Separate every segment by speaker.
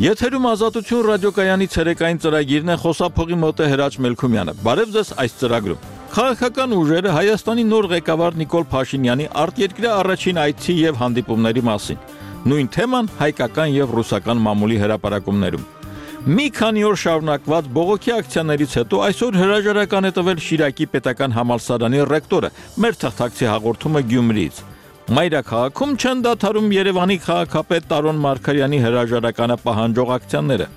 Speaker 1: Եթերում Ազատություն ռադիոկայանի ցերեկային ծրագիրն է, խոսափողի մոտ է Հրաչ Մելքումյանը։ Բարև ձեզ այս ծրագրում։ Քաղաքական ուժերը Հայաստանի նոր ղեկավար Նիկոլ Փաշինյանի արտերկրյա առաջին այցի եւ հանդիպումների մասին։ Նույն թեման հայկական եւ ռուսական մամուլի հրապարակումներում։ Մի քանի օր շարունակված բողոքի ակցիաներից հետո այսօր հրաժարական է տվել Շիրակի պետական համալսարանի ռեկտորը։ Մեր թղթակցի հաղորդումը Գյումրիից։ Մայրաքաղաքում չեն դադարում Երևանի քաղաքապետ Տարոն Մարգարյանի հրաժարականը պահանջող ակցիաները։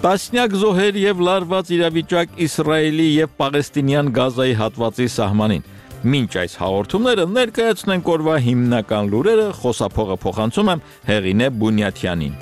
Speaker 1: Տասնյակ զոհեր եւ լարված իրավիճակ Իսրայելի եւ Պաղեստինյան Գազայի հատվածի սահմանին։ Մինչ այս հաղորդումները ներկայացնենք օրվա հիմնական լուրերը, խոսափողը փոխանցում եմ Հեղինե Բունյաթյանին։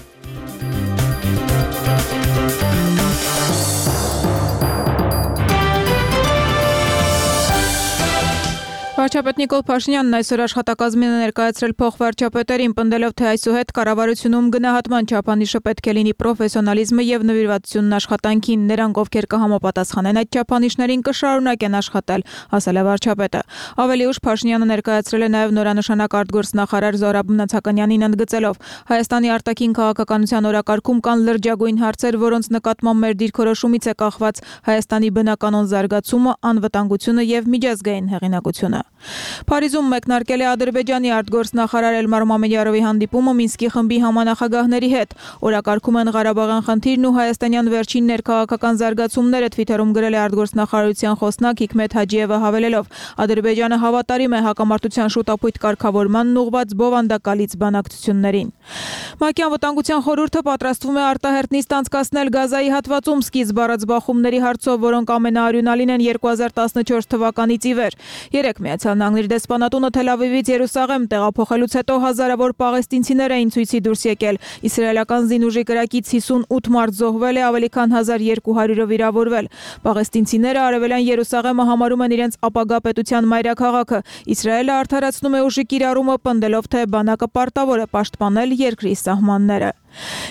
Speaker 2: Վարչապետ Նիկոլ Փաշինյանն այսօր աշխատակազմին է ներկայացրել փոխվարչապետերին, պնդելով, թե այսուհետ կառավարությունում գնահատման չափանիշը պետք է լինի պրոֆեսիոնալիզմը եւ նվիրվածությունն աշխատանքին, նրանք, ովքեր կհամապատասխանեն այդ չափանիշներին, կշարունակեն աշխատել, ասել է վարչապետը։ Ավելի ուշ Փաշինյանը ներկայացրել է նաեւ նորանշանակ արտգործնախարար Զորաբ Նացականյանին, ընդգծելով. Հայաստանի արտաքին քաղաքականության օրակարգում կան լրջագույն հարցեր, որոնց նկատմամբ մեր դիրքորոշումից է կախված Հայաստանի բնականոն զարգացումը, անվտանգությունը եւ միջազգային հեղինակությունը։ Փարիզում մեկնարկել է Ադրբեջանի արտգործնախարար Էլմար Մամեդյարովի հանդիպումը Մինսկի խմբի համանախագահների հետ։ Օրակարգում են Ղարաբաղյան խնդիրն ու հայաստանյան վերջին ներքաղաքական զարգացումները, Թվիթերում գրել է արտգործնախարարության խոսնակ Հիկմետ Հաջիևը, հավելելով. Ադրբեջանը հավատարիմ է հակամարտության շուտապույտ կարգավորմանն ուղղված բովանդակալից բանակցություններին։ ՄԱԿ-ի անվտանգության խորհուրդը պատրաստվում է արտահերտնիստ անցկացնել Գազայի հատվածում սկիզբ առած բախումների հարցով, որոնք ամենաարյունալին են 2014 թվականից ի վեր։ Երեք Միացյալ Նահանգների դեսպանատունը Թել Ավիվից Երուսաղեմ տեղափոխելուց հետո հազարավոր պաղեստինցիներ էին ցույցի դուրս եկել։ Իսրայելական զինուժի կրակից 58 մարդ զոհվել է, ավելի քան 1200-ը վիրավորվել։ Պաղեստինցիները Արևելյան Երուսաղեմը համարում են իրենց ապագա պետության մայրաքաղաքը։ Իսրայելը արդարացնում է ուժի կիրառումը, պնդելով, թե բանակը պարտավոր է պաշտպանել երկրի սահմանները։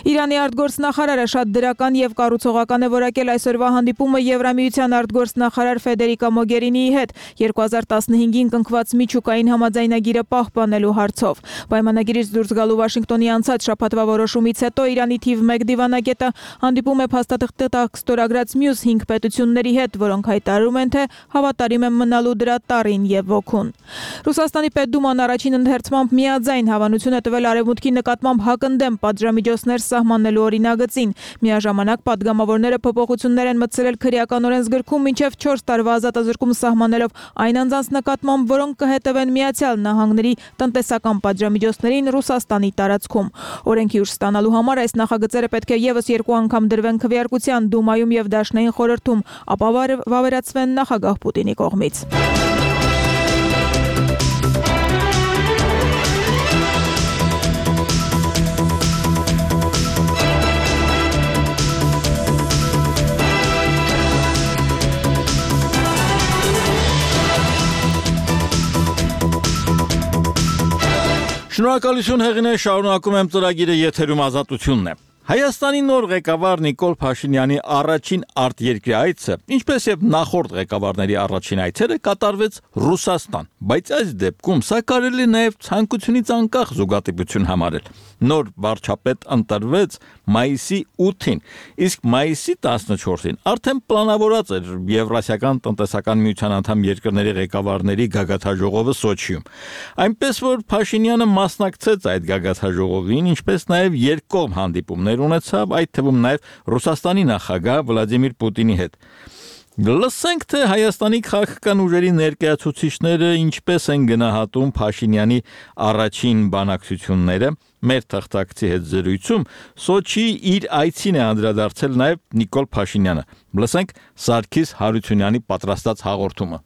Speaker 2: Իրանի արտգործնախարարը շատ դրական եւ կառուցողական է որակել այսօրվա հանդիպումը Եվրամիության արտգործնախարար Ֆեդերիկա Մոգերինիի հետ 2015-ին կնքված միջուկային համաձայնագիրը պահպանելու հարցով։ Պայմանագիրից դուրս գալու Վաշինգտոնի անցած շաբաթվա որոշումից հետո Իրանի թիվ 1 դիվանագետը հանդիպում է փաստաթղթի տակ ստորագրած մյուս 5 պետությունների հետ, որոնք հայտարարում են, թե հավատարիմ են մնալու դրա տառին եւ ոգուն։ Ռուսաստանի Պետդուման առաջին ընթերցմամբ միաձայն հավանություն է տվել Արևմուտքի նկատմամբ հակընդդեմ պատժամիջոցներ սահմանելու օրինագծին։ Միաժամանակ պատգամավորները փոփոխություններ են մտցրել քրեական օրենսգրքում մինչև 4 տարվա ազատազրկում սահմանելով այն անձանց նկատմամբ, որոնք կհետևեն Միացյալ Նահանգների տնտեսական պատժամիջոցներին Ռուսաստանի տարածքում։ Օրենքի ուժ ստանալու համար այս նախագծերը պետք է եւս 2 անգամ դրվեն քվեարկության Դումայում եւ Դաշնային խորհրդում, ապա վավերացվեն նախագահ Պուտինի կողմից։
Speaker 1: Շնորհակալություն Հեղինե, շարունակում եմ ծրագիրը, եթերում Ազատությունն է։ Հայաստանի նոր ղեկավար Նիկոլ Փաշինյանի առաջին արտերկրյա այցը, ինչպես եւ նախորդ ղեկավարների առաջին այցերը, կատարվեց Ռուսաստան, բայց այս դեպքում սա կարելի նաեւ ցանկությունից անկախ զուգադիպություն համարել։ Նոր վարչապետ ընտրվեց մայիսի 8-ին, իսկ մայիսի 14-ին արդեն պլանավորած էր Եվրասիական տնտեսական միության անդամ երկրների ղեկավարների գագաթաժողովը Սոչիում։ Այնպես որ Փաշինյանը մասնակցեց այդ գագաթաժողովին, ինչպես նաեւ երկկողմ հանդիպումներ ունեցավ, այդ թվում նաև Ռուսաստանի նախագահ Վլադիմիր Պուտինի հետ։ Լսենք, թե Հայաստանի քաղաքական ուժերի ներկայացուցիչները ինչպես են գնահատում Փաշինյանի առաջին բանակցությունները։ Մեր թղթակցի հետ զրույցում Սոչի իր այցին է անդրադարձել նաև Նիկոլ Փաշինյանը։ Լսենք Սարգիս Հարությունյանի պատրաստած հաղորդումը։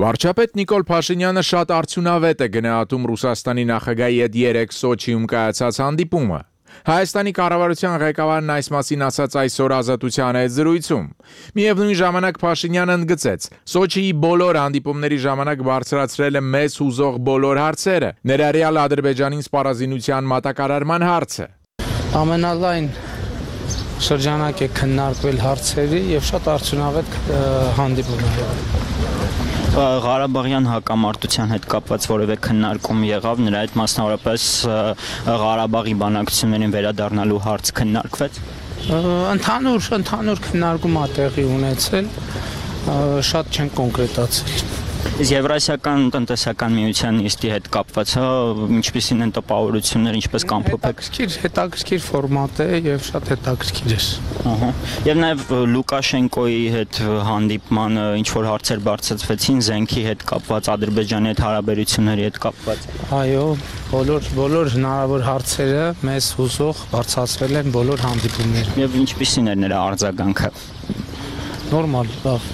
Speaker 3: Վարչապետ Նիկոլ Փաշինյանը շատ արդյունավետ է գնահատում Ռուսաստանի նախագահի հետ 3 Սոչիում կայացած հանդիպումը։ Հայաստանի կառավարության ղեկավարն այս մասին ասաց այսօր Ազատության հետ զրույցում։ Միևնույն ժամանակ Փաշինյանը ընդգծեց. Սոչիի բոլոր հանդիպումների ժամանակ բարձրացրել է մեզ հուզող բոլոր հարցերը, ներառյալ Ադրբեջանին սպառազինության մատակարարման հարցը։
Speaker 4: Ամենալայն շրջանակ է քննարկվել հարցերի եւ շատ արդյունավետ հանդիպում է եղել։ Ղարաբաղյան հակամարտության հետ կապված որևէ քննարկում եղավ, նրա հետ մասնավորապես Ղարաբաղի բանակցություններին վերադառնալու հարց քննարկվեց։
Speaker 5: Ընդհանուր քննարկում ա տեղի ունեցել, շատ չեն կոնկրետացել։
Speaker 4: Եվրասիական տնտեսական միության նիստի հետ կապված, ինչպիսին են տպավորություններ, ինչպես կամփոփեք։
Speaker 5: Հետաքրքիր ֆորմատ է եւ շատ հետաքրքիր է։
Speaker 4: Եվ նաեւ Լուկաշենկոյի հետ հանդիպմանը ինչ որ հարցեր բարձրացվեցին զենքի հետ կապված, Ադրբեջանի հետ հարաբերությունների հետ կապված։
Speaker 5: Այո, բոլոր հնարավոր հարցերը մեզ հուզող բարձրացվել են բոլոր հանդիպումներում։
Speaker 4: Եվ ինչպիսին էր նրա արձագանքը։
Speaker 5: Նորմալ, լավ։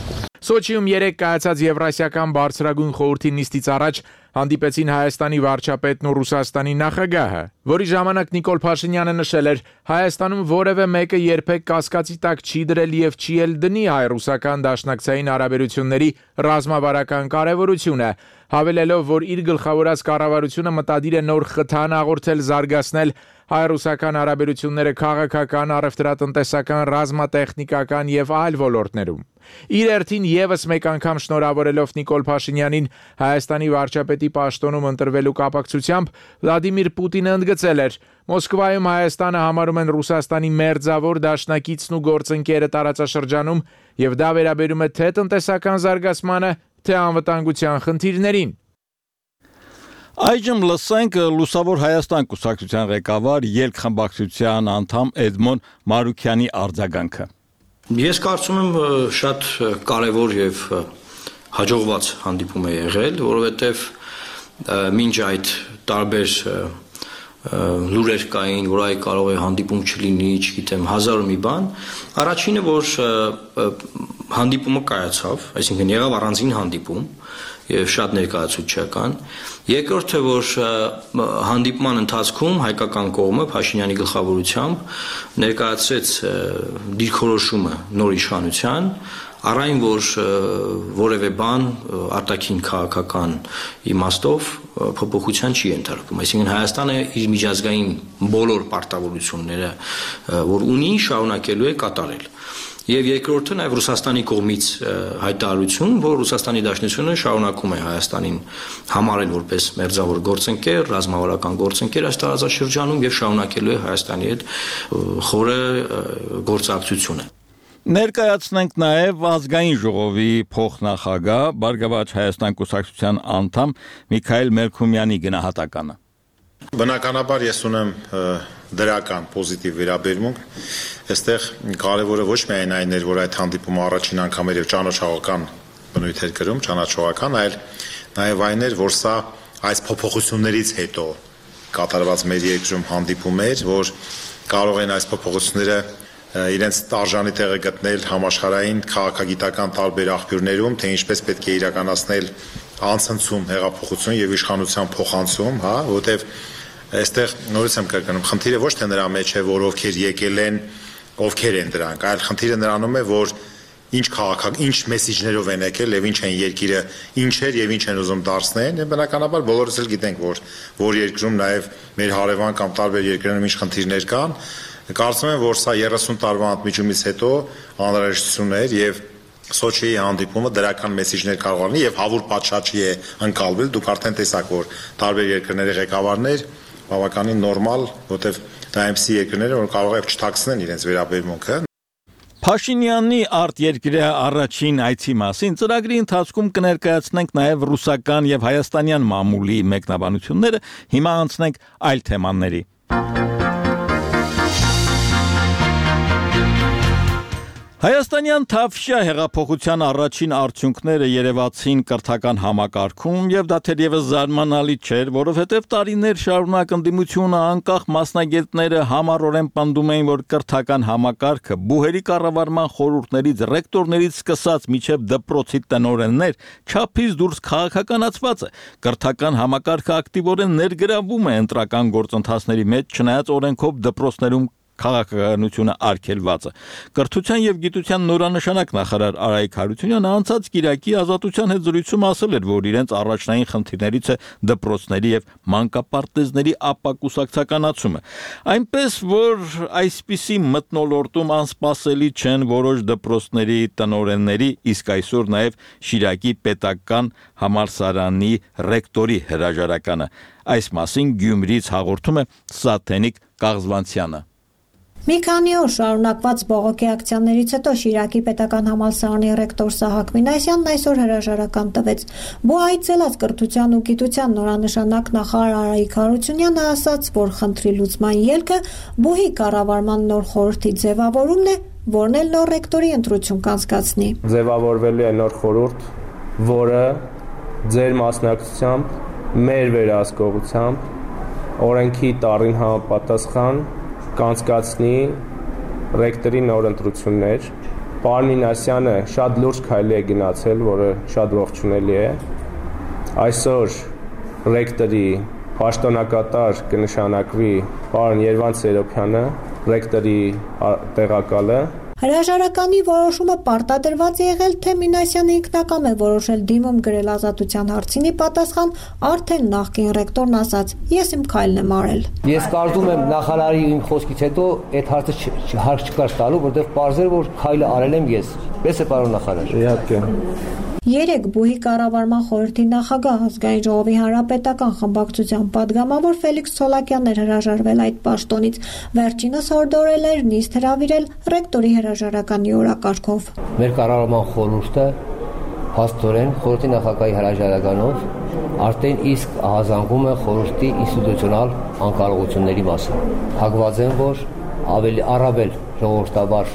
Speaker 3: Սոչիում 3 կայացած Եվրասիական բարձրագույն խորհրդի նիստից առաջ հանդիպեցին Հայաստանի վարչապետն ու Ռուսաստանի նախագահը, որի ժամանակ Նիկոլ Փաշինյանը նշել էր. Հայաստանում որևէ մեկը երբեք կասկածի տակ չի դրել եւ չի էլ դնի հայ-ռուսական դաշնակցային հարաբերությունների ռազմավարական կարեւորությունը, հավելելով, որ իր գլխավորած կառավարությունը մտադիր է նոր խթան հաղորդել զարգացնել հայ-ռուսական հարաբերությունները քաղաքական, առևտրատնտեսական, ռազմատեխնիկական եւ այլ ոլորտներում։ Իր երթին եւս մեկ անգամ շնորհավորելով Նիկոլ Փաշինյանին Հայաստանի վարչապետի պաշտոնում ընտրվելու կապակցությամբ Վլադիմիր Պուտինը ընդգծել էր. Մոսկվայում Հայաստանը համարում են Ռուսաստանի մերձավոր դաշնակիցն ու գործընկերը տարածաշրջանում եւ դա վերաբերում է թե տնտեսական զարգացմանը, թե անվտանգության խնդիրներին։
Speaker 1: Այժմ լսենք Լուսավոր Հայաստան կուսակցության ղեկավար ելք-խմբակցության անդամ Էդմոն Մարուքյանի արձագանքը։
Speaker 6: Ես կարծում եմ շատ կարևոր եւ հաջողված հանդիպում է եղել, որովհետեւ մինչ այդ տարբեր լուրեր կային, որ այ կարող է հանդիպում չլինի, չգիտեմ, հազար ու մի բան, առաջինը որ հանդիպումը կայացավ, այսինքն եղավ առանձին հանդիպում եւ շատ ներկայացուցչական, երկրորդը որ հանդիպման ընթացքում հայկական կողմը Փաշինյանի գլխավորությամբ ներկայացրեց դիրքորոշումը նոր իշխանության, առայն որ որևէ բան արտաքին քաղաքական իմաստով փոփոխության չի ենթարկվում, այսինքն Հայաստանը իր միջազգային բոլոր պարտավորությունները, որ ունի, շարունակելու է կատարել։ Եվ երկրորդը նաև Ռուսաստանի կողմից հայտարարություն, որ Ռուսաստանի Դաշնությունը շարունակում է Հայաստանին համարել որպես մերձավոր գործընկեր, ռազմավարական գործընկեր այս տարածաշրջանում եւ շարունակելու է Հայաստանի հետ խորը գործակցությունը։
Speaker 1: Ներկայացնենք նաև ազգային ժողովի փոխնախագահ Բարգավաճ Հայաստան կուսակցության անդամ Միքայել Մելքումյանի գնահատականը։
Speaker 7: Բնականաբար ես ունեմ դրական պոզիտիվ վերաբերմունք, այստեղ կարևորը ոչ միայն այն էր, որ այդ հանդիպումը առաջին անգամ էր եւ ճանաչողական բնույթ էր կրում, ճանաչողական, այլ նաեւ այն էր, որ սա այս փոփոխություններից հետո կատարված մեր երկրում հանդիպում էր, որ կարող են այս փոփոխությունները իրենց արժանի տեղը գտնել համաշխարհային քաղաքագիտական տարբեր աղբյուրներում, թե ինչպես պետք է իրականացնել անցնցում, հեղափոխություն եւ իշխանության փոխանցում, հա, որտեւ այստեղ նորից եմ կրկնում, խնդիրը ոչ թե նրա մեջ է, որ ովքեր եկել են, ովքեր են դրանք, այլ խնդիրը նրանում է, որ ինչ մեսիջներով են եկել եւ ինչ են երկիրը, ինչեր եւ ինչ են ուզում դարձնել, եւ բնականաբար բոլորս էլ գիտենք, որ երկրում նաեւ մեր հարևան կամ տարբեր երկրներում ինչ խնդիրներ կան, կարծում եմ, որ սա 30 տարվա ընդմիջումից հետո անհրաժեշտություն էր եւ Սոչիի հանդիպումը դրական մեսիջներ կարող ունի եւ հավուր պատշաճի է ընկալվել, դուք արդեն տեսաք, որ տարբեր երկրների ղեկավարներ բավականին նորմալ, որտեվ դա այնպիսի երկրներ, որ կարող է չթաքցնեն իրենց վերաբերմունքը։
Speaker 1: Փաշինյանի արտերկրյա առաջին այցի մասին ծրագրի ընթացքում կներկայացնենք նաև ռուսական եւ հայաստանյան մամուլի մեկնաբանությունները, հիմա անցնենք այլ թեմաների։ Հայաստանյան Թավշյա հեղափոխության առաջին արդյունքները երևացին կրթական համակարգում եւ դա թերևս զարմանալի չէր, որովհետեւ տարիներ շարունակ ընդդիմությունը անկախ մասնագետները համառորեն պնդում էին, որ կրթական համակարգը բուհերի կառավարման խորհուրդներից, ռեկտորներից սկսած միջև դպրոցի տնօրեններ չափից դուրս քաղաքականացված է։ Կրթական համակարգը ակտիվորեն ներգրավում է ընտրական գործընթացների մեջ, չնայած օրենքով դպրոցներում քաղաքականությունը արգելված է։ Կրթության եւ գիտության նորանշանակ նախարար Արայիկ Հարությունյանը անցած Կիրակի Ազատության հետ զրույցում ասել էր, որ իրենց առաջնային խնդիրներից է դպրոցների եւ մանկապարտեզների ապակուսակցականացումը։ Այնպես որ այսպիսի մթնոլորտում անսպասելի չեն որոշ դպրոցների տնօրենների, իսկ այսօր նաեւ Շիրակի պետական համալսարանի ռեկտորի հրաժարականը։ Այս մասին Գյումրիից հաղորդում է Սաթենիկ Կաղզվանցյանը։
Speaker 8: Մի քանի օր շարունակված բողոքի ակցիաներից հետո Շիրակի պետական համալսարանի ռեկտոր Սահակ Մինասյանն այսօր հրաժարական տվեց։ Բուհայցելած կրթության ու գիտության նորանշանակ նախարար Արայիկ Հարությունյանը ասաց, որ խնդրի լուծման ելքը բուհի կառավարման նոր խորհրդի ձևավորումն է, որն էլ նոր ռեկտորի ընտրություն կանցկացնի։
Speaker 9: Ձևավորվելու է նոր խորհուրդ, որը ձեր մասնակցությամբ, մեր վերահսկողությամբ, օրենքի տառին համապատասխան կանցկացնի ռեկտորի նոր ընտրություններ։ Պարոն Մինասյանը շատ լուրջ քայլի է գնացել, որը շատ ողջունելի է։ Այսօր ռեկտորի պաշտոնակատար կնշանակվի պարոն Երվանդ Սերոբյանը, ռեկտորի տեղակալը։
Speaker 8: Հրաժարականի որոշումը պարտադրված է եղել, թե Մինասյանը ինքնակամ է որոշել դիմում գրել ազատության հարցինի պատասխան, արդեն նախկին ռեկտորն ասաց. ես իմ քայլն եմ արել։
Speaker 10: Ես կարծում եմ նախարարի իմ խոսքից հետո այդ հարցը հարկ չկար տալու, որտեղ պարզել որ քայլը արել եմ ես։ Պես է պարոն նախարար։ Իհարկե։
Speaker 8: Երեք բուհի կառավարման խորհրդի նախագահ ազգային ժողովի հանրապետական խմբակցության падգամավոր Ֆելիքս Ցոլակյանն էր հրաժարվել այդ պաշտոնից, վերջինս հորդորել էր նիստ հրավիրել ռեկտորի հրաժարականի օրակարգով։
Speaker 10: Մեր կառավարման խորհուրդը փաստորեն խորհրդի նախագահի հրաժարականով արդեն իսկ ահազանգում է խորհրդի ինստիտուցիոնալ անկարողությունների մասին։ Հակված եմ, որ ավելի առավել ժողովրդավար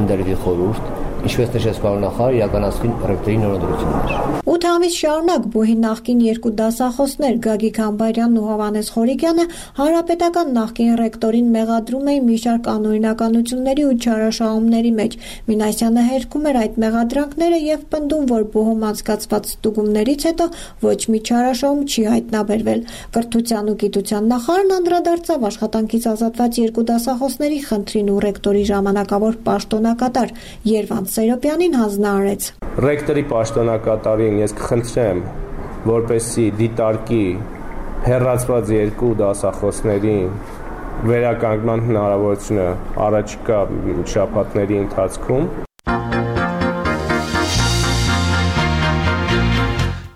Speaker 10: ընդրվի խորհուրդ, ինչպես նշեց պարոն նախարար, իրականացվին ռեկտորի նոր ընտրություններ։
Speaker 8: 8 ամիս շարունակ բուհի նախկին երկու դասախոսներ Գագիկ Համբարյանն ու Հովհաննես Խորիկյանը հանրապետական նախկին ռեկտորին մեղադրում էին մի շարք անօրինականությունների ու չարաշահումների մեջ։ Մինասյանը հերքում էր այդ մեղադրանքները եւ պնդում, որ բուհում անցկացված ստուգումներից հետո ոչ մի չարաշահում չի հայտնաբերվել։ Կրթության ու գիտության նախարարն անդրադարձավ աշխատանքից ազատված երկու դասախոսների խնդրին ու ռեկտորի ժամանակավոր պաշտոնակատար Երվանդ Սերոբյանին հանձնարարեց։
Speaker 9: Ռեկտորի պաշտոնակատարին ես կխնդրեմ, որպեսզի դիտարկի հեռացված երկու դասախոսներին վերականգնման հնարավորությունը առաջիկա շաբաթների ընթացքում։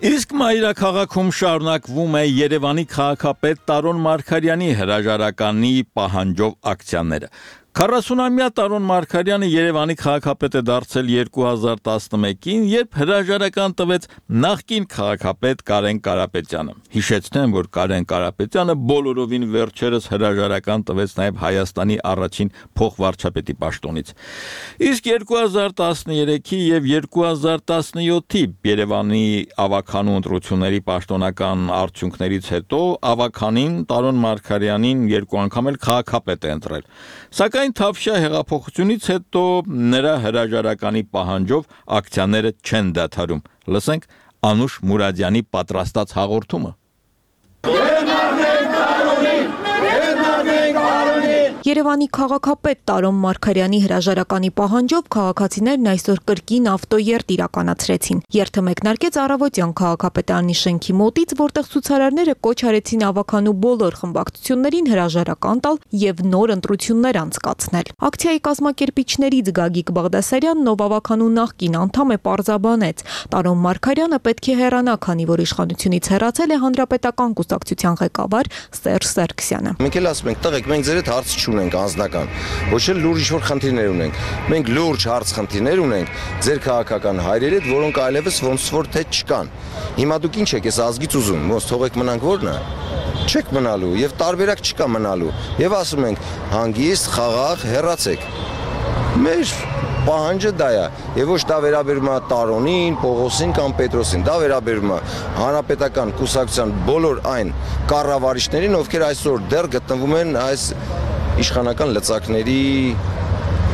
Speaker 1: Իսկ մայրաքաղաքում շարունակվում է Երևանի քաղաքապետ Տարոն Մարգարյանի հրաժարականի պահանջով ակցիաները։ 40-ամյա Տարոն Մարգարյանը Երևանի քաղաքապետ է դարձել 2011-ին, երբ հրաժարական տվեց նախկին քաղաքապետ Կարեն Կարապետյանը։ Հիշեցնեմ, որ Կարեն Կարապետյանը բոլորովին վերջերս հրաժարական տվեց նաև Հայաստանի առաջին փոխվարչապետի պաշտոնից։ Իսկ 2013-ի եւ 2017-ի Երևանի ավականու ընտրությունների պաշտոնական արդյունքներից հետո ավականին Տարոն Մարգարյանին երկու անգամ էլ քաղաքապետ է ընտրել։ Սակայն Թավշյա հեղափոխությունից հետո նրա հրաժարականի պահանջով ակցիաները չեն դադարում։ Լսենք Անուշ Մուրադյանի պատրաստած հաղորդումը։
Speaker 2: Երևանի քաղաքապետ Տարոն Մարգարյանի հրաժարականի պահանջով քաղաքացիներն այսօր կրկին ավտոերթ իրականացրեցին։ Երթը մեկնարկեց առավոտյան քաղաքապետարանի շենքի մոտից, որտեղ ցուցարարները կոչ արեցին ավականու բոլոր խմբակցություններին հրաժարական տալ եւ նոր ընտրություններ անցկացնել։ Ակցիայի կազմակերպիչներից Գագիկ Բաղդասարյանն, ով ավականու նախկին անդամ է, պարզաբանեց. Տարոն Մարգարյանը պետք է հեռանա, քանի որ իշխանությունից հեռացել է հանրապետական կուսակցության ղեկավար Սերժ Սարգսյանը։
Speaker 11: Մենք էլ ասում ենք, տղեկ, մենք ձեր հետ հարց չունենք անձնական, ոչ էլ լուրջ ինչ-որ խնդիրներ ունենք։ Մենք լուրջ հարց խնդիրներ ունենք ձեր քաղաքական հայրերի հետ, որոնք այլևս ոնց որ թե չկան։ Հիմա դուք ինչ եք, ես ազգից ուզում, ոնց թողեք մնանք որն է։ Չեք մնալու եւ տարբերակ չկա մնալու։ Եվ ասում ենք, հանգիստ, խաղաղ, հեռացեք։ Մեր պահանջը դա է, եւ ոչ դա վերաբերում է Տարոնին, Պողոսին կամ Պետրոսին, դա վերաբերում է հանրապետական կուսակցության բոլոր այն կառավարիչներին, ովքեր այսօր դեռ գտնվում են այս իշխանական լծակների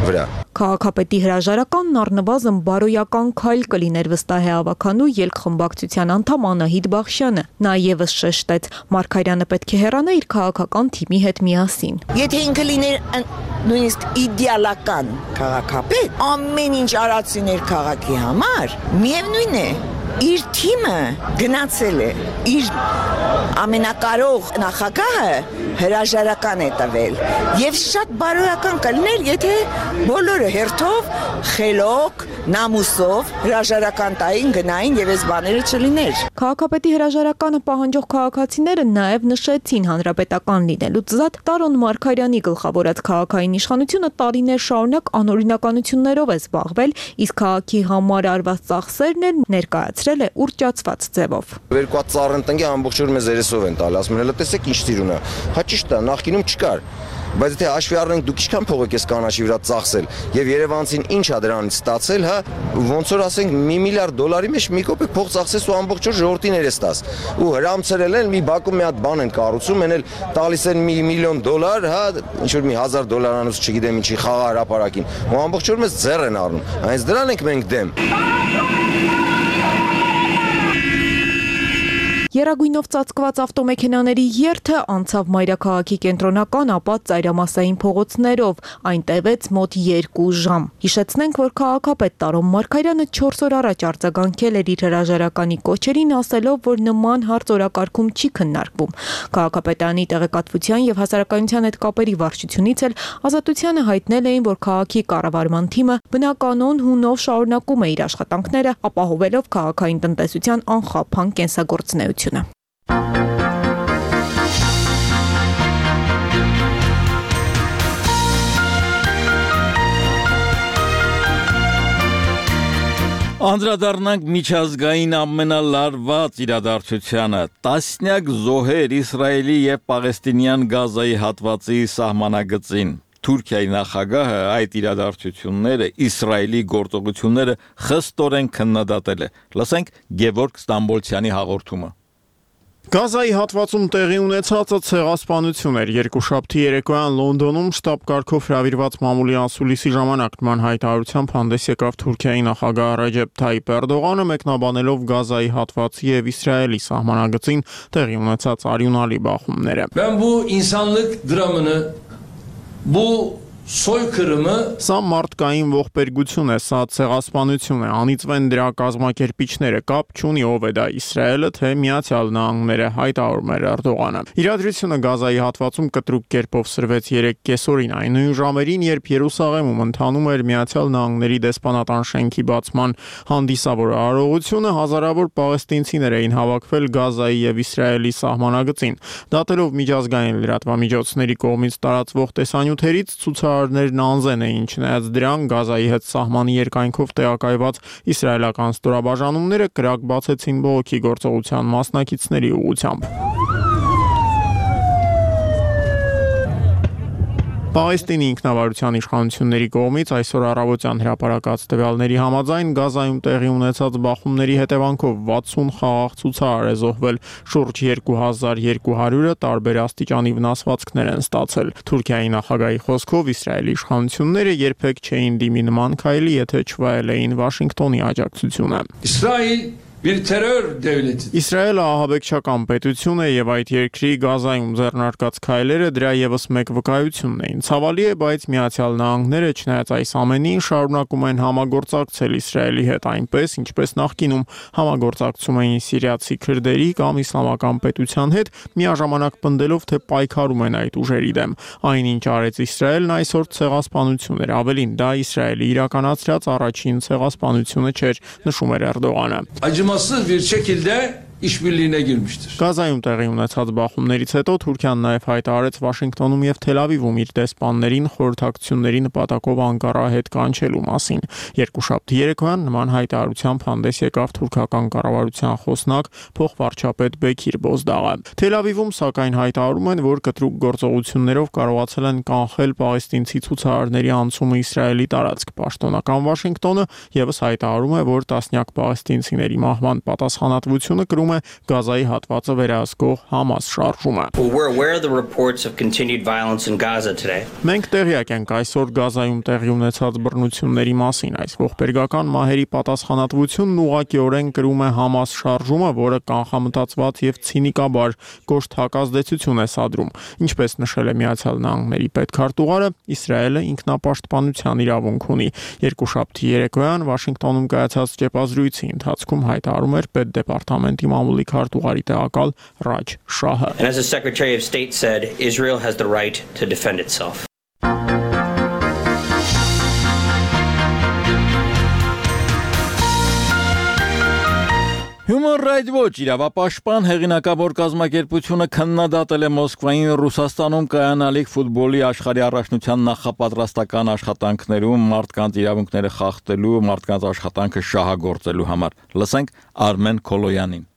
Speaker 11: վրա։
Speaker 2: Քաղաքապետի հրաժարականն առնվազն բարոյական քայլ կլիներ, վստահ է ավականու ելքխմբակցության անդամ Անահիտ Բախշյանը։ Նա եւս շեշտեց, Մարգարյանը պետք է հեռանա իր քաղաքական թիմի հետ միասին։
Speaker 12: Եթե ինքը լիներ նույնիսկ իդեալական քաղաքապետ, ամեն ինչ արածիներ քաղաքի համար, միևնույն է, իր թիմը գնացել է, իր ամենակարող նախագահը հրաժարական է տվել եւ շատ բարոյական կլներ, եթե բոլորը հերթով, խելոք, նամուսով հրաժարական տային, գնային եւ այս բաները չլիներ։
Speaker 2: Քաղաքապետի հրաժարականը պահանջող քաղաքացիները նաեւ նշեցին հանրապետական լինելուց զատ Տարոն Մարգարյանի գլխավորած քաղաքային իշխանությունը տարիներ շարունակ անօրինականություններով է զբաղվել, իսկ քաղաքի համար արված ծախսերն էլ ներկայացրել է ուռճացված ձևով։
Speaker 11: Երկու ծառն տնկի ամբողջ օր մեզ երեսով են տալի, ասում են, հələ տեսեք ինչ տիրուն է։ Հա ճիշտ է, նախկինում չկար։ Բայց եթե հաշվի առնենք դուք ինչքան փող եք կանաչի վրա ծախսել եւ Երևանցին ինչ է դրանից ստացել, հա, ոնց որ ասենք $1 միլիարդ մեջ մի կոպեկ փող ծախսես ու ամբողջ օր ժողովրդին երես տաս։ Ու հրամցրել են մի բակում մի հատ բան են կառուցում, են էլ տալիս են $1 միլիոն, հա, ինչ որ մի $1000 անուց չգիտեմ ինչի խաղա հրապարակին։ Ու ամբողջ օր մեզ ձեռ են առնում։ Այնց դրան ենք մենք դեմ։
Speaker 2: Երագույնով ծածկված ավտոմեքենաների երթը անցավ մայրաքաղաքի կենտրոնական, ապա ծայրամասային փողոցներով, այն տևեց մոտ 2 ժամ։ Հիշեցնենք, որ քաղաքապետ Տարոն Մարգարյանը 4 օր առաջ արձագանքել էր իր հրաժարականի կոչերին, ասելով, որ նման հարց օրակարգում չի քննարկվում։ Քաղաքապետարանի տեղեկատվության եւ հասարակայնության հետ կապերի վարչությունից էլ Ազատությանը հայտնել էին, որ քաղաքի կառավարման թիմը բնականոն հունով շարունակում է իր աշխատանքները, ապահովելով քաղաքային տնտեսության անխափան կենսագործունեությունը։
Speaker 1: Անդրադառնանք միջազգային ամենալարված իրադարձությանը։ Տասնյակ զոհեր Իսրայելի եւ Պաղեստինյան Գազայի հատվածի սահմանագծին։ Թուրքիայի նախագահը այդ իրադարձությունները Իսրայելի գործողությունները խստորեն քննադատել է։ Լսենք Գևորգ Ստամբոլցյանի հաղորդումը։
Speaker 13: Գազայի հատվածում տեղի ունեցածը ցեղասպանություն էր։ Երկուշաբթի երեկոյան Լոնդոնում շտաբ կարգով հրավիրված մամուլի անսուլիսի ժամանակ նման հայտարարությամբ հանդես եկավ Թուրքիայի նախագահ Ռեջեփ Թայիփ Էրդողանը, մեկնաբանելով Գազայի հատվածի եւ Իսրայելի սահմանագծին տեղի ունեցած արյունալի բախումները։
Speaker 14: Ben bu insanlık dramını, bu soykırımı
Speaker 13: Սա մարդկային ողբերգություն է, սա ցեղասպանություն է, անիծվեն դրա կազմակերպիչները, կապ չունի ով է դա Իսրայելը, թե Միացյալ Նահանգները, հայտարարում էր Էրդողանը։ Իրադրությունը Գազայի հատվածում կտրուկ կերպով սրվեց 3 կեսօրին, այն նույն ժամերին, երբ Երուսաղեմում ընթանում էր Միացյալ Նահանգների դեսպանատան շենքի բացման հանդիսավոր արարողությունը, հազարավոր պաղեստինցիներ էին հավաքվել Գազայի եւ Իսրայելի սահմանագծին։ Դատելով միջազգային լրատվամիջոցների կողմից տարածվող տեսանյութերից ցուցարարներն անզեն էին, չնայած դրան Գազայի հետ սահմանի երկայնքով տեղակայված իսրայելական ստորաբաժանումները կրակ բացեցին բողոքի գործողության մասնակիցների ուղղությամբ։ Պաղեստինի ինքնավարության իշխանությունների կողմից այսօր առավոտյան հրապարակած տվյալների համաձայն Գազայում տեղի ունեցած բախումների հետևանքով 60 խաղաղ ցուցարար է զոհվել, շուրջ 2200-ը տարբեր աստիճանի վնասվածքներ են ստացել։ Թուրքիայի նախագահի խոսքով Իսրայելի իշխանությունները երբեք չէին դիմի նման քայլի, եթե չվայել էին Վաշինգտոնի աջակցությունը։ Իսրայելը ահաբեկչական պետություն է եւ այդ երկրի Գազայում ձեռնարկած քայլերը դրա եւս մեկ վկայությունն էին։ Ցավալի է, բայց Միացյալ Նահանգները, չնայած այս ամենին, շարունակում են համագործակցել Իսրայելի հետ այնպես, ինչպես նախկինում համագործակցում էին սիրիացի քրդերի կամ իսլամական պետության հետ, միաժամանակ պնդելով, թե պայքարում են այդ ուժերի դեմ։ Այնինչ արեց Իսրայելն այսօր ցեղասպանություն էր, ավելին դա Իսրայելի իրականացրած առաջին ցեղասպանությունը չէր, նշում էր Էրդողանը։
Speaker 14: acımasız bir şekilde işbirliğine girmiştir.
Speaker 13: Գազայում տեղի ունեցած բախումներից հետո Թուրքիան նաև հայտարարեց Վաշինգտոնում եւ Թել Ավիվում իր դեսպաններին խորհրդակցությունների նպատակով Անկարա հետ կանչելու մասին։ Երկուշաբթի երեկոյան նման հայտարարությամբ հանդես եկավ թուրքական կառավարության խոսնակ փոխվարչապետ Բեքիր Բոզդաղը։ Թել Ավիվում սակայն հայտարարում են, որ կտրուկ գործողություններով կարողացել են կանխել պաղեստինցի ցուցարարների անցումը Իսրայելի տարածք։ Պաշտոնական Վաշինգտոնը եւս հայտարարում է, որ տասնյակ պաղեստինցիների մահվան պատասխանատվությունը կրում է Գազայի հատվածը վերահսկող Համաս շարժումը։ Մենք տեղյակ ենք այսօր Գազայում տեղի ունեցած բռնությունների մասին։ Այս ողբերգական մահերի պատասխանատվությունն ուղղակիորեն կրում է Համաս շարժումը, որը կանխամտածված եւ ցինիկաբար կոշտ հակազդեցություն է սադրում։ Ինչպես նշել է Միացյալ Նահանգների պետքարտուղարը, Իսրայելը ինքնապաշտպանության իրավունք ունի։ Երկուշաբթի երեկոյան Վաշինգտոնում կայացած ճեպազրույցի ընթացքում հայտարարում էր պետդեպարտամենտի մամուլի քարտուղարի տեղակալ Ռաջ Շահը։
Speaker 15: And as the Secretary of State said, Israel has the right to defend itself.
Speaker 1: Human Rights Watch իրավապաշտպան հեղինակավոր կազմակերպությունը քննադատել է Մոսկվային Ռուսաստանում կայանալիք ֆուտբոլի աշխարհի առաջնության նախապատրաստական աշխատանքներում մարդկանց իրավունքները խախտելու, մարդկանց աշխատանքը շահագործելու համար։ Լսենք Արմեն Քոլոյանին։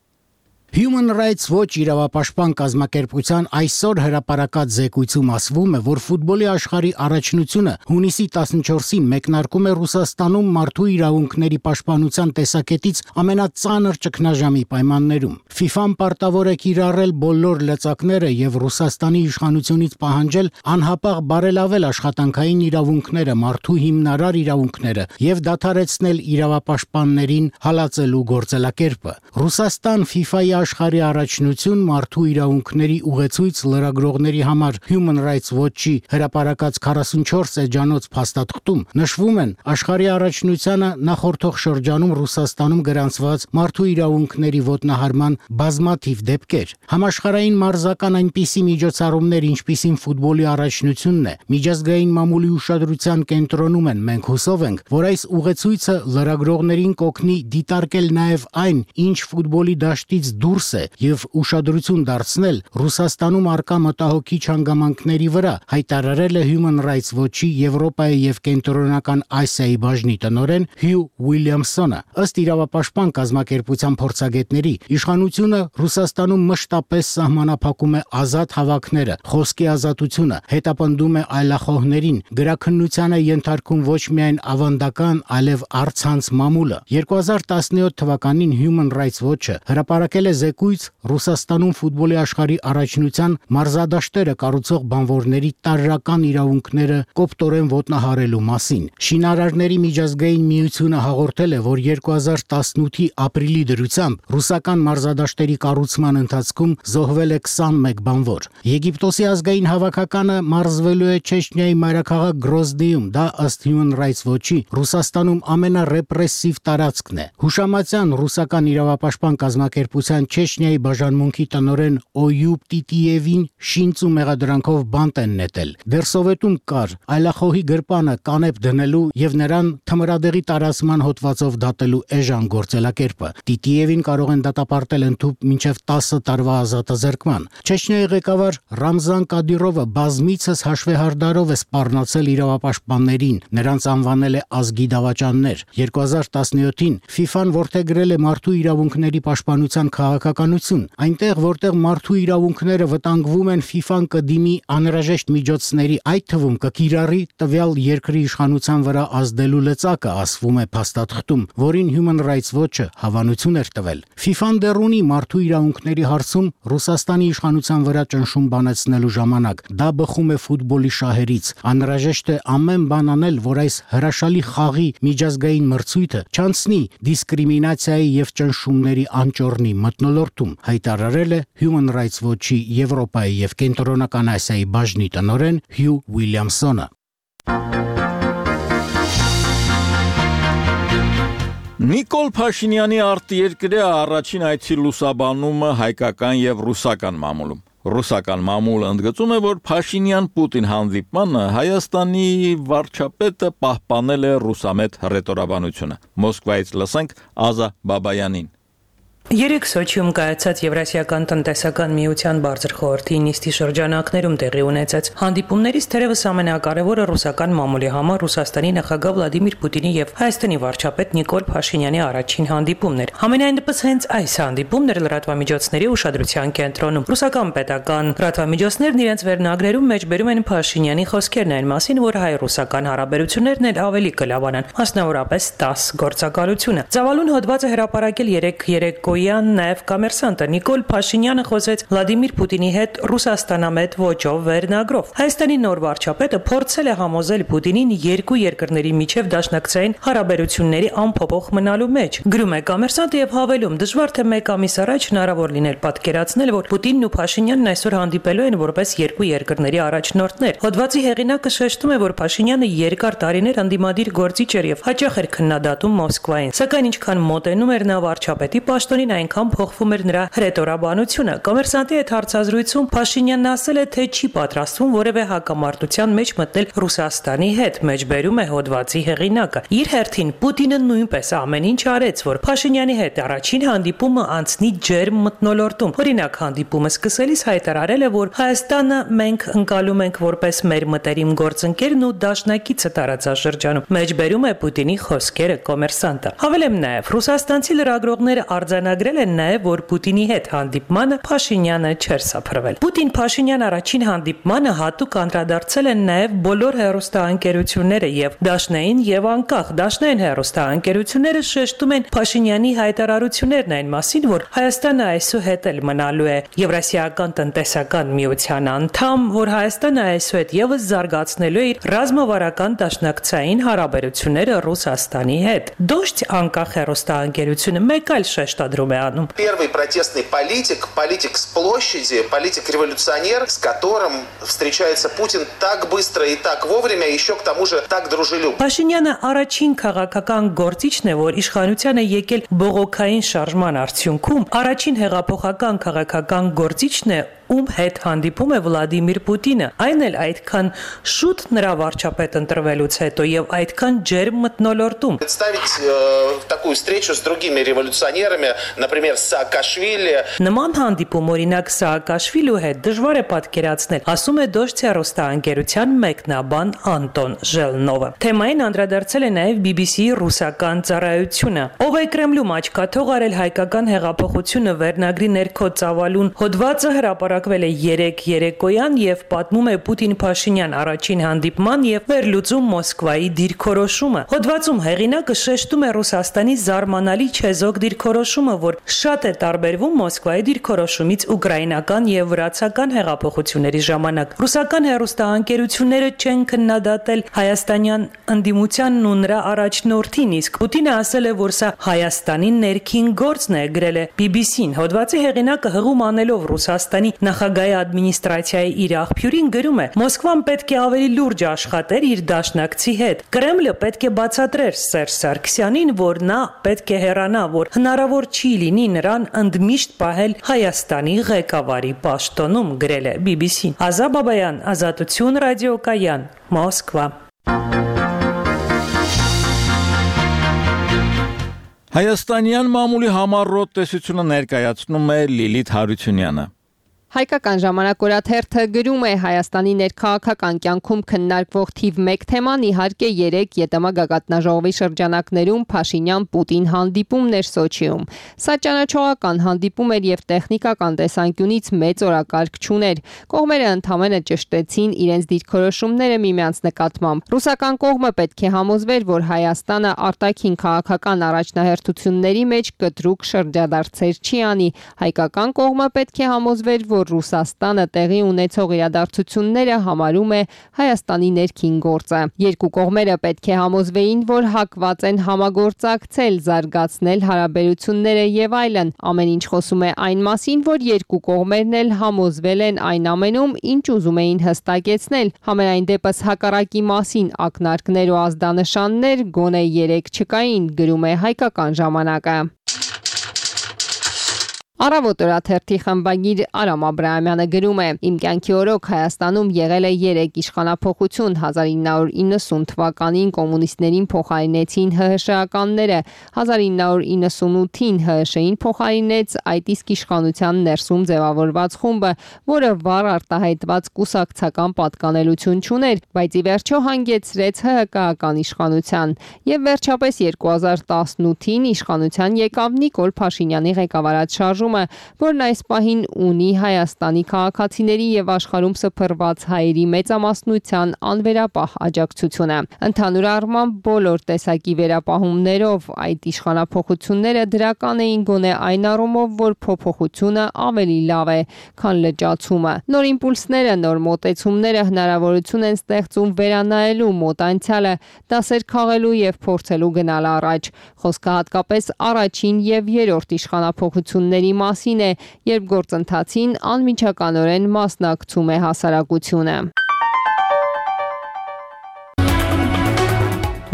Speaker 16: Human Rights Watch իրավապաշտպան կազմակերպության այսօր հրապարակած զեկույցում ասվում է, որ ֆուտբոլի աշխարհի առաջնությունը հունիսի 14-ին մեկնարկում է Ռուսաստանում մարդու իրավունքների պաշտպանության տեսակետից ամենածանր ճգնաժամի պայմաններում։ FIFA-ն պարտավոր է կիրառել բոլոր լծակները եւ Ռուսաստանի իշխանությունից պահանջել անհապաղ բարելավել աշխատանքային իրավունքները, մարդու հիմնարար իրավունքները եւ դադարեցնել իրավապաշտպաններին հալածելու գործելակերպը։ Ռուսաստան FIFA-ի աշխարհի առաջնություն մարդու իրավունքների ուղեցույց լրագրողների համար Human Rights Watch-ի հրապարակած 44 էջանոց փաստաթղթում նշվում են աշխարհի առաջնությանը նախորդող շրջանում Ռուսաստանում գրանցված մարդու իրավունքների ոտնահարման բազմաթիվ դեպքեր։ Համաշխարհային մարզական այնպիսի միջոցառումներ, ինչպիսին ֆուտբոլի առաջնությունն է, միջազգային մամուլի ուշադրության կենտրոնում են։ Մենք հուսով ենք, որ այս ուղեցույցը լրագրողներին կօգնի դիտարկել նաև այն, ինչ ֆուտբոլի դաշտից դուրս է եւ ուշադրություն դարձնել Ռուսաստանում արկա մտահոգիչ հանգամանքների վրա, հայտարարել է Human Rights Watch-ի Եվրոպայի եւ Կենտրոնական Ասիայի բաժնի տնօրեն Հյու Ուիլյամսոնը։ Ըստ իրավապաշտպան կազմակերպության փորձագետների, իշխանությունը Ռուսաստանում մշտապես սահմանափակում է ազատ հավաքները, խոսքի ազատությունը, հետապնդում է այլախոհներին, գրաքննության է ենթարկում ոչ միայն ավանդական, այլև առցանց մամուլը։ 2017 թվականին Human Rights Watch-ը հրապարակել է զեկույց Ռուսաստանում ֆուտբոլի աշխարհի առաջնության մարզադաշտերը կառուցող բանվորների տարրական իրավունքները կոպտորեն ոտնահարելու մասին։ Շինարարների միջազգային միությունը հաղորդել է, որ 2018-ի ապրիլի դրությամբ ռուսական մարզադաշտերի կառուցման ընթացքում զոհվել է 21 բանվոր։ Եգիպտոսի ազգային հավաքականը մարզվելու է Չեչնիայի մայրաքաղաք Գրոզնիում, դա ըստ Human Rights Watch-ի Ռուսաստանում ամենառեպրեսիվ տարածքն է։ Հուշամատյան ռուսական իրավապաշտպան կազմակերպության Չեչնիայի բաժանմունքի տնօրեն Օյուբ Տիտիևին շինծ ու մեղադրանքով բանտ են նետել։ Դեռ Սովետում կար այլախոհի գրպանը կանեպ դնելու եւ նրան թմրադեղի տարածման հոդվածով դատելու էժան գործելակերպը։ Տիտիևին կարող են դատապարտել ընդհուպ մինչև 10 տարվա ազատազրկման։ Չեչնիայի ղեկավար Ռամզան Կադիրովը բազմիցս հաշվեհարդարով է սպառնացել իրավապաշտպաններին, նրանց անվանել է ազգի դավաճաններ։ 2017-ին FIFA-ն որդեգրել է մարդու իրավունքների պաշտպանության քաղաքականություն, այնտեղ որտեղ մարդու իրավունքները վտանգվում են, FIFA-ն կդիմի անհրաժեշտ միջոցների, այդ թվում կկիրառի տվյալ երկրի իշխանության վրա ազդելու լծակը, ասվում է փաստաթղթում, որին Human Rights Watch-ը հավանություն էր տվել։ FIFA-ն դեռ ունի մարդու իրավունքների հարցում Ռուսաստանի իշխանության վրա ճնշում բանացնելու ժամանակ։ Դա բխում է ֆուտբոլի շահերից։ Անհրաժեշտ է ամեն բան անել, որ այս հրաշալի խաղի միջազգային մրցույթը չանցնի դիսկրիմինացիայի եւ ճնշումների անճոռնի մթնոլորտում, հայտարարել է Human Rights Watch-ի Եվրոպայի եւ Կենտրոնական Ասիայի բաժնի տնօրեն Հյու Ուիլյամսոնը։
Speaker 1: Նիկոլ Փաշինյանի արտերկրյա առաջին այցի լուսաբանումը հայկական եւ ռուսական մամուլում։ Ռուսական մամուլը ընդգծում է, որ Փաշինյան-Պուտին հանդիպմանը Հայաստանի վարչապետը պահպանել է ռուսամետ հռետորաբանությունը։ Մոսկվայից լսենք Ազա Բաբայանին։
Speaker 17: Երեք Սոչիում կայացած Եվրասիական տնտեսական միության բարձր խորհրդի նիստի շրջանակներում տեղի ունեցած հանդիպումներից թերևս ամենակարևորը ռուսական մամուլի համար Ռուսաստանի նախագահ Վլադիմիր Պուտինի եւ Հայաստանի վարչապետ Նիկոլ Փաշինյանի առաջին հանդիպումն էր։ Համենայնդեպս հենց այս հանդիպումն էր լրատվամիջոցների ուշադրության կենտրոնում։ Ռուսական պետական լրատվամիջոցներն իրենց վերնագրերում մեջբերում են Փաշինյանի խոսքերն այն մասին, որ հայ-ռուսական հարաբերություններն էլ ավելի կլավանան, մասնավորապես 10 գործակալությունը։ Ծավալուն հոդվածը հրապարակել երեք Երեկոյան նաև կոմերսանտը Նիկոլ Փաշինյանը խոսեց Վլադիմիր Պուտինի հետ Ռուսաստանամետ ոճով վերնագրով։ Հայաստանի նոր վարչապետը փորձել է համոզել Պուտինին երկու երկրների միջև դաշնակցային հարաբերությունների անփոփոխ մնալու մեջ։ Գրում է կոմերսանտը եւ հավելում. դժվար թե մեկ ամիս առաջ հնարավոր լինել պատկերացնել, որ Պուտինն ու Փաշինյանն այսօր հանդիպելու են որպես երկու երկրների առաջնորդներ։ Հոդվածի հեղինակը շեշտում է, որ Փաշինյանը երկար տարիներ անդիմադիր գործիչ էր եւ հաճախ էր քննադատում Մոսկվային։ Սակայն ինչքան մոտենում էր նա վարչապետի պաշտոնին, այնքան փոխվում էր նրա հռետորաբանությունը։ Կոմերսանտի հետ հարցազրույցում Փաշինյանն ասել է, թե չի պատրաստվում որևէ հակամարտության մեջ մտնել Ռուսաստանի հետ, մեջբերում է հոդվածի հեղինակը։ Իր հերթին Պուտինը նույնպես ամեն ինչ արեց, որ Փաշինյանի հետ առաջին հանդիպումը անցնի ջերմ մթնոլորտում։ Օրինակ, հանդիպումը սկսելիս հայտարարել է, որ Հայաստանը մենք ընկալում ենք որպես մեր մտերիմ գործընկերն ու դաշնակիցը տարածաշրջանում։ Մեջբերում է Պուտինի խոսքերը կոմերսանտը։ Հավելեմ նաև, ռուսաստանցի լրագրողները արձանագրել են նաև, որ Պուտինի հետ հանդիպմանը Փաշինյանը չէր սափրվել։ Պուտին-Փաշինյան առաջին հանդիպմանը հատուկ անդրադարձել են նաև բոլոր հեռուստաընկերությունները եւ դաշնային եւ անկախ դաշնային հեռուստաընկերությունները շեշտում են Փաշինյանի հայտարարություններն այն մասին, որ Հայաստանը այսուհետ էլ մնալու է Եվրասիական տնտեսական միության անդամ, որ Հայաստանը այսուհետ եւս զարգացնելու է իր ռազմավարական դաշնակցային հարաբերությունները Ռուսաստանի հետ։ Դոշտ անկախ հեռուստաընկերությունը մեկ այլ շեշտադրում է անում.
Speaker 18: Первый протестный политик с площади, политик-революционер, с которым встречается Путин так быстро и так вовремя, еще к тому же так дружелюбно.
Speaker 17: Փաշինյանը առաջին քաղաքական գործիչն է, որ իշխանության է եկել բողոքային շարժման արդյունքում, առաջին հեղափոխական քաղաքական գործիչն է, ում հետ հանդիպում է Վլադիմիր Պուտինը, այն էլ այդքան շուտ նրա վարչապետ ընտրվելուց հետո եւ այդքան ջերմ մթնոլորտում։
Speaker 18: Представить такую встречу с другими революционерами, например, Саакашвили.
Speaker 17: Նման հանդիպում օրինակ Սաակաշվիլու հետ դժվար է պատկերացնել, ասում է Դոշտի հեռուստաընկերության մեկնաբան Անտոն Ժելնովը։ Թեմային անդրադարձել է նաև BBC-ի ռուսական ծառայությունը։ Ով է Կրեմլում աչքաթող արել հայկական հեղափոխությունը վերնագրի ներքո ծավալուն հոդվածը հրապարակվել է 3 երեկոյան եւ պատմում է Պուտին-Փաշինյան առաջին հանդիպման եւ վերլուծում Մոսկվայի դիրքորոշումը։ Հոդվածում հեղինակը շեշտում է Ռուսաստանի զարմանալի չեզոք դիրքորոշումը, որ շատ է տարբերվում Մոսկվայի դիրքորոշումից ուկրաինական եւ վրացական հեղափոխությունների ժամանակ։ Ռուսական հեռուստաընկերությունները չեն քննադատել հայաստանյան ընդդիմությանն ու նրա առաջնորդին, իսկ Պուտինը ասել է, որ սա Հայաստանի ներքին գործն է, գրել է BBC-ն։ Հոդվածի հեղինակը հղում անելով Ռուսաստանի նախագահի ադմինիստրացիայի իր աղբյուրին գրում է. Մոսկվան պետք է ավելի լուրջ աշխատեր իր դաշնակցի հետ։ Կրեմլը պետք է բացատրեր Սերժ Սարգսյանին, որ նա պետք է հեռանա, որ հնարավոր չի լինի նրան ընդմիշտ պահել Հայաստանի ղեկավարի պաշտոնում, գրել է BBC-ն։ Ազա Բաբայան, Ազատություն ռադիոկայան, Մոսկվա։
Speaker 1: Հայաստանյան մամուլի համառոտ տեսությունը ներկայացնում է Լիլիթ Հարությունյանը։
Speaker 19: Հայկական ժամանակորաթերթը գրում է Հայաստանի ներքաղաքական կյանքում քննարկվող թիվ 1 թեման իհարկե 3 ԵՏՄ գագաթնաժողովի շրջանակներում Փաշինյան-Պուտին հանդիպումներ Սոչիում։ Սա ճանաչողական հանդիպում էր եւ տեխնիկական տեսանկյունից մեծ օրակարգ չուներ։ Կողմերը ընդհանրապես ճշտեցին իրենց դիրքորոշումները միմյանց նկատմամբ։ Ռուսական կողմը պետք է համոզվեր, որ Հայաստանը արտաքին քաղաքական առաջնահերթությունների մեջ կտրուկ շրջադարձեր չի անի։ Հայկական կողմը պետք է համոզվեր, որ Ռուսաստանը տեղի ունեցող իրադարձությունները համարում է Հայաստանի ներքին գործը։ Երկու կողմերը պետք է համոզվեին, որ հակված են համագործակցել, զարգացնել հարաբերությունները եւ այլն։ Ամեն ինչ խոսում է այն մասին, որ երկու կողմերն էլ համոզվել են այն ամենում, ինչ ուզում էին հստակեցնել։ Համենայն դեպս հակառակի մասին ակնարկներ ու ազդանշաններ գոնե 3 չկային, գրում է Հայկական ժամանակը։ Առավոտ օրաթերթի խմբագիր Արամ Աբրահամյանը գրում է. Իմ կյանքի օրոք Հայաստանում եղել է 3 իշխանափոխություն 1990 թվականին կոմունիստներին փոխարինեցին ՀՀՇ-ականները, 1998-ին ՀՀՇ-ին փոխարինեց այդ իսկ իշխանության ներսում ձևավորված խումբը, որը վառ արտահայտված կուսակցական պատկանելություն չուներ, բայց ի վերջո հանգեցրեց ՀՀԿ-ական իշխանության, եւ վերջապես 2018-ին իշխանության եկավ Նիկոլ Փաշինյանի ղեկավարած շարժ շարժումը, որն այս պահին ունի Հայաստանի քաղաքացիների եւ աշխարհում սփռված հայերի մեծամասնության անվերապահ աջակցությունը։ Ընդհանուր առմամբ բոլոր տեսակի վերապահումներով այդ իշխանափոխությունները դրական էին գոնե այն առումով, որ փոփոխությունը ավելի լավ է, քան լճացումը։ Նոր իմպուլսները, նոր մոտեցումները հնարավորություն են ստեղծում վերանայելու մոտ անցյալը, դասեր քաղելու եւ փորձելու գնալ առաջ։ Խոսքը հատկապես առաջին եւ երրորդ իշխանափոխությունների մասին է, երբ գործընթացին անմիջականորեն մասնակցում է հասարակությունը։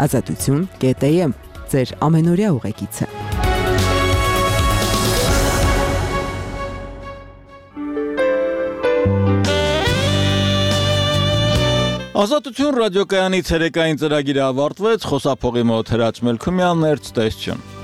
Speaker 20: Ազատություն.am ձեր ամենօրյա ուղեկիցը։
Speaker 1: Ազատություն ռադիոկայանի ցերեկային ծրագիրը ավարտվեց, խոսափողի մոտ Հրաչ Մելքումյանն էր, ցտեսություն։